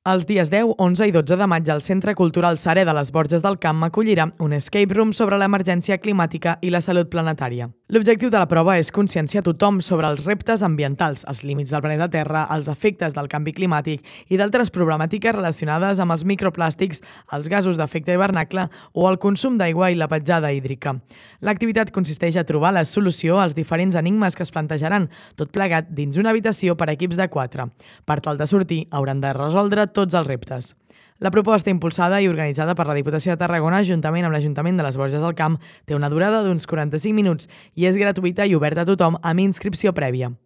Els dies 10, 11 i 12 de maig, el Centre Cultural Saré de les Borges del Camp acollirà un escape room sobre l'emergència climàtica i la salut planetària. L'objectiu de la prova és conscienciar tothom sobre els reptes ambientals, els límits del planeta Terra, els efectes del canvi climàtic i d'altres problemàtiques relacionades amb els microplàstics, els gasos d'efecte hivernacle o el consum d'aigua i la petjada hídrica. L'activitat consisteix a trobar la solució als diferents enigmes que es plantejaran, tot plegat dins una habitació per a equips de 4. Per tal de sortir, hauran de resoldre tots els reptes. La proposta, impulsada i organitzada per la Diputació de Tarragona juntament amb l'Ajuntament de les Borges del Camp, té una durada d'uns 45 minuts i és gratuïta i oberta a tothom amb inscripció prèvia.